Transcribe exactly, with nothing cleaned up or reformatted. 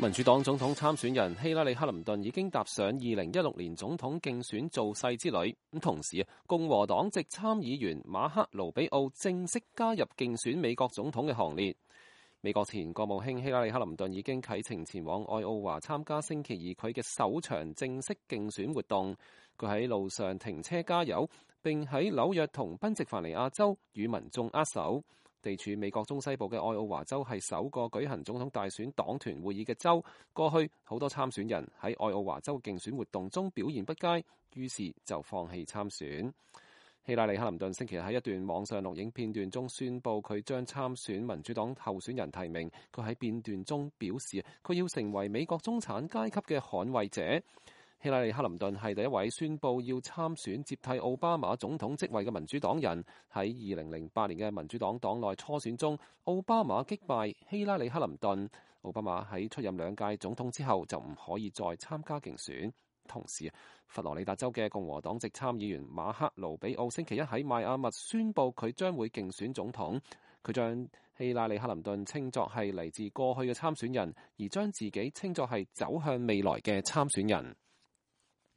民主黨總統參選人希拉里·克林頓已經踏上二零一六年總統競選造勢之旅。咁同時，共和黨籍參議員馬克·盧比奧正式加入競選美國總統嘅行列。美國前國務卿希拉里·克林頓已經啟程前往愛奧華參加星期二佢嘅首場正式競選活動。佢喺路上停車加油，並喺紐約同賓夕凡尼亞州與民眾握手。地處美國中西部嘅愛奧華州係首個舉行總統大選黨團會議嘅州。過去好多參選人喺愛奧華州競選活動中表現不佳，於是就放棄參選。希拉里·克林頓星期日喺一段網上錄影片段中宣布佢將參選民主黨候選人提名。佢喺片段中表示，佢要成為美國中產階級嘅捍衛者。希拉里·克林頓係第一位宣布要參選接替奧巴馬總統職位嘅民主黨人。喺二零零八年嘅民主黨黨內初選中，奧巴馬擊敗希拉里·克林頓。奧巴馬喺出任兩屆總統之後就唔可以再參加競選。同時，佛羅里達州嘅共和黨籍參議員馬克·盧比奧星期一喺邁阿密宣布佢將會競選總統。佢將希拉里·克林頓稱作係嚟自過去嘅參選人，而將自己稱作係走向未來嘅參選人。